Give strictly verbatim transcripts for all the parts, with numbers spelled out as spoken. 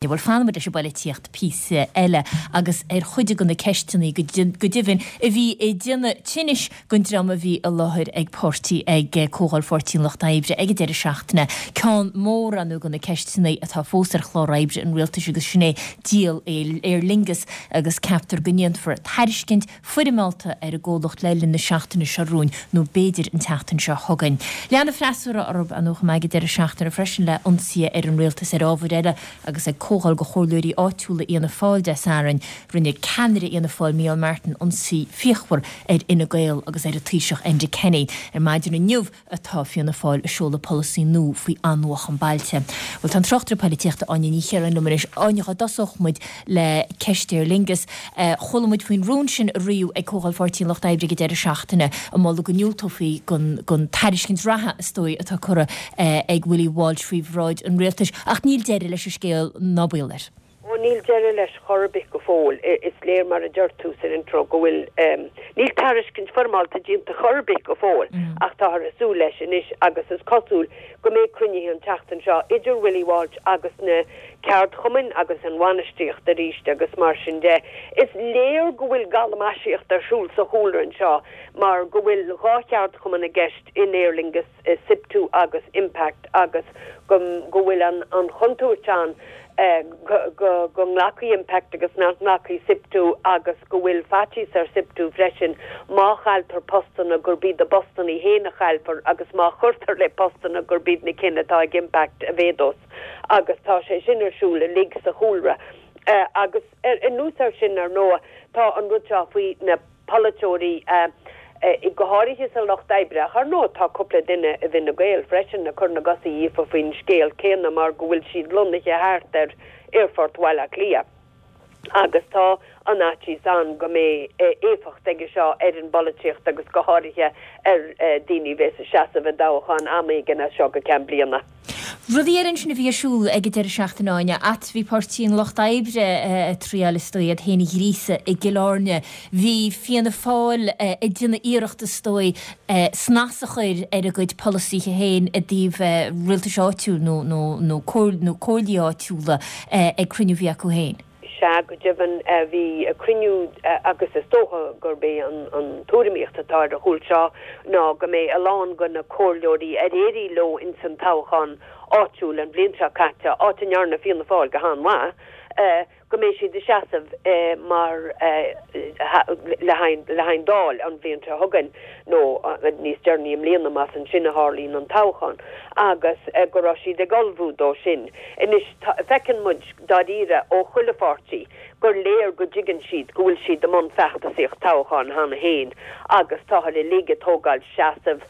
Bhuel, fanfaimid leis an bpolaitíocht píosa eile agus ar chuid de na ceisteanna go deimhin a bhí ag déanamh tinnis don dream a bhí i láthair ag páirtí ag Comhdháil Pháirtí an Lucht Oibre ag an deireadh seachtaine. Ceann mór ann de na ceisteanna atá fós ar chlár oibre an rialtais agus sin é díol Aer Lingus agus ceaptar go ndéanfar tairiscint foirmeálta ar an gcomhlacht le linn na seachtaine seo romhainn nó b'fhéidir an tseachtain seo chugainn. Lean an freasúra orthu an chomh maith ag an deireadh seachtaine freisin le ionsaithe ar an rialtas ar ábhair eile agus ag comhdháil do chomhairleoirí áitiúla Fhianna Fáil Dé Sathairn, rinne ceannaire Fhianna Fáil Micheál Martin ionsaí fíochmhar ar Fhine Gael agus ar an Taoiseach Enda Kenny. Ar maidin inniu atá Fianna Fáil ag seoladh polasaí nua faoi athnuachan bailte. Bhuel tá an tráchtaire polaitíochta Áine Ní Chiaráin liom anois. Áine, dá dtosódh muid le ceist Aer Lingus. Chuala muid faoin rún sin a ritheadh ag Comhdháil Pháirtí an Lucht Oibre ag an deireadh seachtaine ag moladh go ndiúltófaí don tairiscint reatha is dóigh atá curtha ag Willie Walsh faoi bhráid an rialtais. Ach níl deireadh leis an scéal ná baol air. Ó níl deireadh leis chor ar bith go fóill. Is léir mar a deir tú san intro go bhfuil níl tairiscint foirmeálta déanta chor ar bith go fóill ach táthar ag súil leis anois agus is cosúil go mbeidh cruinnithe an tseachtain seo idir Willie Walsh agus na ceardchumainn agus an bhainistíocht arís agus mar sin de. Is léir go bhfuil galamaisíocht ar siúl sa chúlra anseo mar go bhfuil dhá cheardchumann i gceist in Aer Lingus SIPTU agus Impact agus go go bhfuil an an chontúirt ann go go nglacfaidh Impact agus nach nglacfaidh SIPTU agus go bhfuil faitíos ar SIPTU freisin má chailltear postanna gurb iad a bpostanna féin a chaillfear agus má chuirtear le postanna gurb iad na cinn atá ag Impact a mhéadós agus tá sé sin ar siúl uilig sa chúlra. Uh, agus anuas air sin ar ndóigh tá an rud seo faoi na polaiteoirí uh, uh, go háirithe sa Lucht Oibre ar ndóigh tá cúpla duine i bhFine Gael freisin ag cur na gcosa dhíofa faoin scéal céanna mar go bhfuil siad lonnaithe thart ar Aerfort Bhaile Átha Cliath. Agus tá an fhaitíos ann go mbeidh éifeacht aige seo ar an bpolaitíocht agus go háirithe ar daoine bheith ag seasamh i dtoghchán am éigin as seo go ceann bliana. Rudaí eile ansin a bhí ar siúl ag an deireadh seachtaine Áine, at bhí Páirtí an Lucht Oibre ag triail is dóigh iad féin a ghríosadh i gCill Airne. Bhí Fianna Fáil ag déanamh iarracht is dóigh snas a chur ar a gcuid polasaithe féin i dtaobh rialtais áitiúil nó nó nó nó comhairlí áitiúla ag cruinniú a bhí acu féin. Sea go deimhin bhí cruinniú agus is dócha gurb é an an tuairimíocht atá ar a chúl seo ná go mbeidh a lán de na comhairleoirí ar éirigh leo ins an toghchán áitiúil an bhliain seo caite áit a ndearna Fianna Fáil go han-mhaith go mbeidh siad ag seasamh mar le le haghaidh Dáil an bhliain seo chugainn nó níos deireanaí i mbliana más ansin a tharlaíonn an toghchán agus go raibh siad ag ullmhú dó sin. Anois feiceann muid dáiríre ó chuile pháirtí gur léir go dtuigeann siad go bhfuil siad i mbun feachtasaíocht toghcháin cheana féin agus táthar uilig ag tógáil seasamh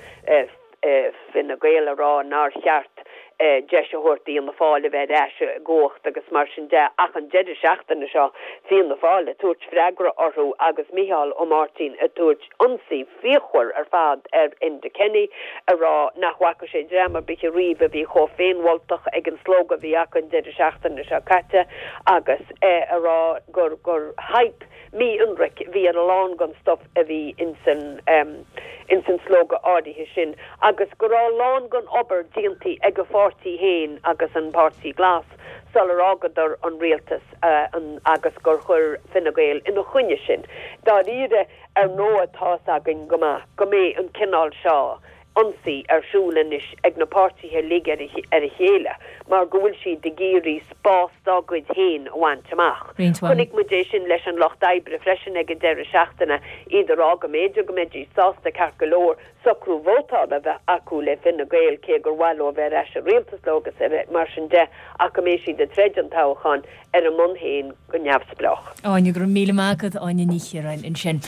Fine Gael a rá nár cheart deis a thabhairt d'Fhianna Fáil a bheith ar ais i gcumhacht agus mar sin de ach an deireadh seachtaine seo Fianna Fáil ag tabhairt freagra orthu agus Micheál Ó Máirtín ag tabhairt ionsaí fíochmhar ar fad ar Enda Kenny a rá nach bhfaca sé dream ar bith riamh a bhí chomh féinmholtach ag an slógadh a bhí acu an deireadh seachtaine seo caite agus a rá gur gur hype mí-ionraic bhí ar a lán den stuff a bhí insan um, insan slógadh áirithe sin agus go raibh a lán den obair déanta ag a pháirtí féin agus an Páirtí Glas sular fhágadar an rialtas uh, an, agus gur chuir Fine Gael ina choinne sin. Dáiríre ar ndóigh tá a fhios againn go maith go mbeidh an cineál seo ionsaí ar siúl anois ag na páirtithe uilig ar a chéile mar go bhfuil siad ag iarraidh spás dá gcuid féin a bhaint amach. Chonaic muid é sin leis an Lucht Oibre freisin ag an deireadh seachtaine iad ag rá go mb'fhéidir go mbeidís sásta ceart go leor socrú vótála bheith acu le Fine Gael cé gur mhaith leo bheith ar ais i rialtas leo agus mar sin de ach go mbeidh siad ag troid an toghchán ar a mbonn féin go neamhspleách. Áine go raibh míle maith agat Áine Ní Chiaráin ansin.